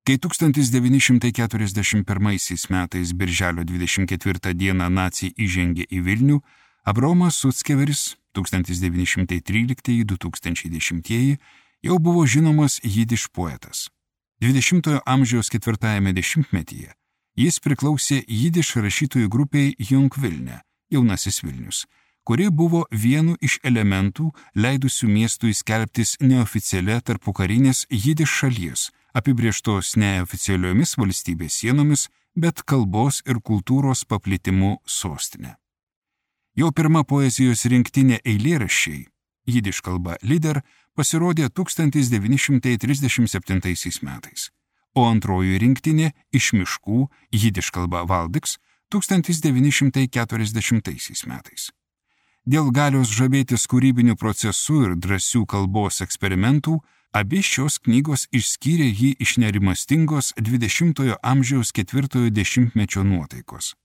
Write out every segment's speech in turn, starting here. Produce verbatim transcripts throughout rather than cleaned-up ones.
Kai tūkstantis devyni šimtai keturiasdešimt pirmaisiais metais birželio dvidešimt ketvirtą dieną naciai įžengė į Vilnių, Abraomas Suckeveris tūkstantis devyni šimtai tryliktieji - du tūkstančiai dešimtieji jau buvo žinomas jidiš poetas. dvidešimtojo amžiaus ketvirtajame dešimtmetyje jis priklausė jidiš rašytojų grupiai Jung Vilne, Jaunasis Vilnius, kuri buvo vienu iš elementų leidusių miestui skelbtis neoficialia tarpukarinės jidiš šalies, apibrėžtos neoficialiomis valstybės sienomis, bet kalbos ir kultūros paplitimu sostinė. Jo pirma poezijos rinktinė eilėraščiai, jidiš kalba Lider, pasirodė tūkstantis devyni šimtai trisdešimt septintaisiais metais, o antroji rinktinė Iš miškų, jidiš kalba Valdiks, tūkstantis devyni šimtai keturiasdešimtaisiais metais. Dėl galios žavėtis kūrybiniu procesu ir drąsių kalbos eksperimentų, abi šios knygos išskyrė jį iš nerimastingos dvidešimtojo amžiaus ketvirtojo dešimtmečio nuotaikos.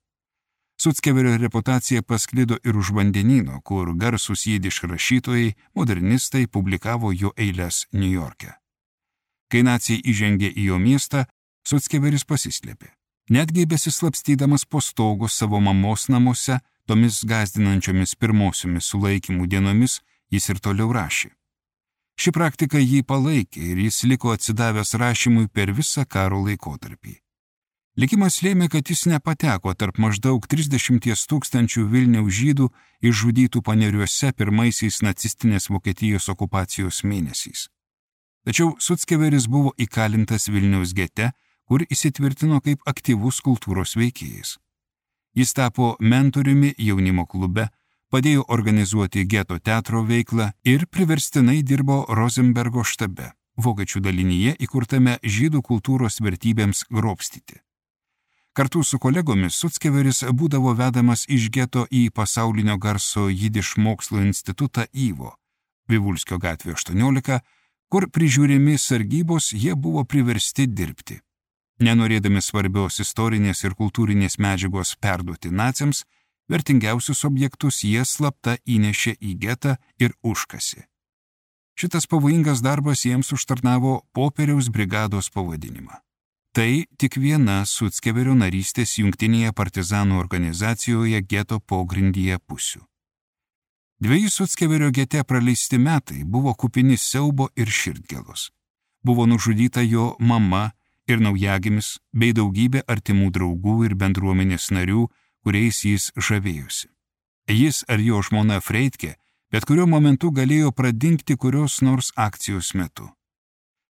Suckeverio reputacija pasklido ir už vandenyno, kur garsūs jidiš rašytojai, modernistai publikavo jo eiles Niujorke. Kai naciai įžengė į jo miestą, Suckeveris pasislėpė. Netgi besislapstydamas po stogu savo mamos namuose, tomis gąsdinančiomis pirmosiomis sulaikymų dienomis, jis ir toliau rašė. Ši praktika jį palaikė ir jis liko atsidavęs rašymui per visą karo laikotarpį. Likimas lėmė, kad jis nepateko tarp maždaug trisdešimties tūkstančių Vilniaus žydų išžudytų Paneriuose pirmaisiais nacistinės Vokietijos okupacijos mėnesiais. Tačiau Suckeveris buvo įkalintas Vilniaus gete, kur įsitvirtino kaip aktyvus kultūros veikėjas. Jis tapo mentoriumi jaunimo klube, padėjo organizuoti geto teatro veiklą ir priverstinai dirbo Rosenbergo štabe, vokiečių dalinyje įkurtame žydų kultūros vertybėms grobstyti. Kartu su kolegomis Suckeveris būdavo vedamas iš geto į pasaulinio garso jidiš mokslo institutą Yvo, Vivulskio gatvė aštuoniolika, kur prižiūrimi sargybos jie buvo priversti dirbti. Nenorėdami svarbios istorinės ir kultūrinės medžiagos perduoti naciams, vertingiausius objektus jie slapta įnešė į getą ir užkasė. Šitas pavojingas darbas jiems užtarnavo popieriaus brigados pavadinimą. Tai tik viena Suckeverio narystės jungtinėje partizanų organizacijoje geto pogrindyje pusių. Dviejų Suckeverio gete praleisti metai buvo kupini siaubo ir širdgėlos. Buvo nužudyta jo mama ir naujagimis, bei daugybė artimų draugų ir bendruomenės narių, kuriais jis žavėjosi. Jis ar jo žmona Freitke bet kuriuo momentu galėjo pradingti kurios nors akcijos metu.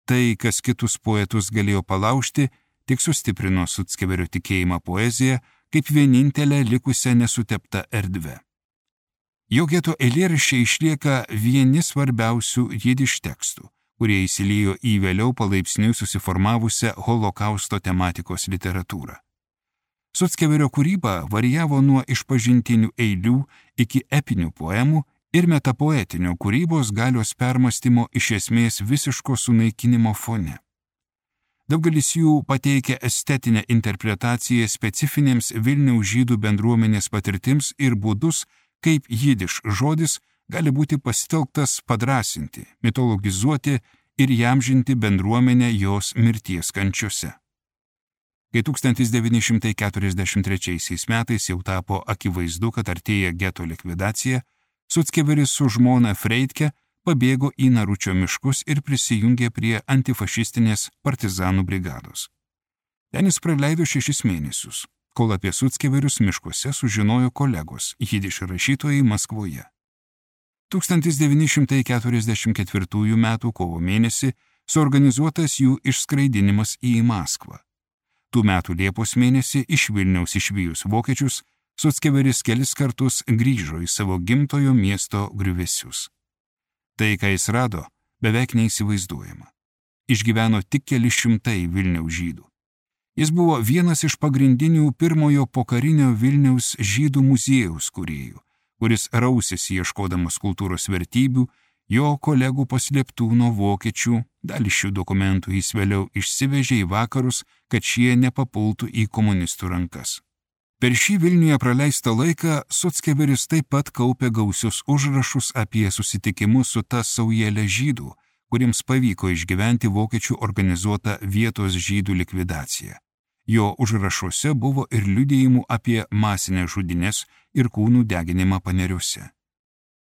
Tai, kas kitus poetus galėjo palaužti, tik sustiprino Suckeverio tikėjimą poeziją kaip vienintelę likusią nesuteptą erdvę. Jo geto eilėraščiai išlieka vieni svarbiausių jidiš tekstų, kurie įsiliejo į vėliau palaipsniui susiformavusią holokausto tematikos literatūrą. Suckeverio kūryba varijavo nuo išpažintinių eilių iki epinių poemų ir metapoetinio kūrybos galios permastymo iš esmės visiško sunaikinimo fone. Daugelis jų pateikia estetinę interpretaciją specifinėms Vilniaus žydų bendruomenės patirtims ir būdus, kaip jidiš žodis gali būti pasitelktas padrąsinti, mitologizuoti ir įamžinti bendruomenę jos mirties kančiose. Kai tūkstantis devyni šimtai keturiasdešimt trečiaisiais metais jau tapo akivaizdu, kad artėja geto likvidacija, Suckeveris su žmona Freitke pabėgo į Naručio miškus ir prisijungė prie antifašistinės partizanų brigados. Ten jis praleido šešis mėnesius, kol apie Suckeverius miškuose sužinojo kolegos, jidiš rašytojai Maskvoje. tūkstantis devyni šimtai keturiasdešimt ketvirtųjų metų kovo mėnesį suorganizuotas jų išskraidinimas į Maskvą. Tų metų Liepos mėnesį iš Vilniaus išvijus vokiečius, Suckeveris kelis kartus grįžo į savo gimtojo miesto griuvėsius. Tai, ką jis rado, beveik neįsivaizduojama. Išgyveno tik keli šimtai Vilniaus žydų. Jis buvo vienas iš pagrindinių pirmojo pokarinio Vilniaus žydų muziejaus kūrėjų, kuris rausėsi ieškodamas kultūros vertybių, jo kolegų paslėptų nuo vokiečių, dalį šių dokumentų jis vėliau išsivežė į vakarus, kad šie nepapultų į komunistų rankas. Per šį Vilniuje praleistą laiką Suckeveris taip pat kaupė gausius užrašus apie susitikimus su ta saujelė žydų, kuriems pavyko išgyventi vokiečių organizuotą vietos žydų likvidaciją. Jo užrašuose buvo ir liudijimų apie masinės žudynės ir kūnų deginimą paneriuose.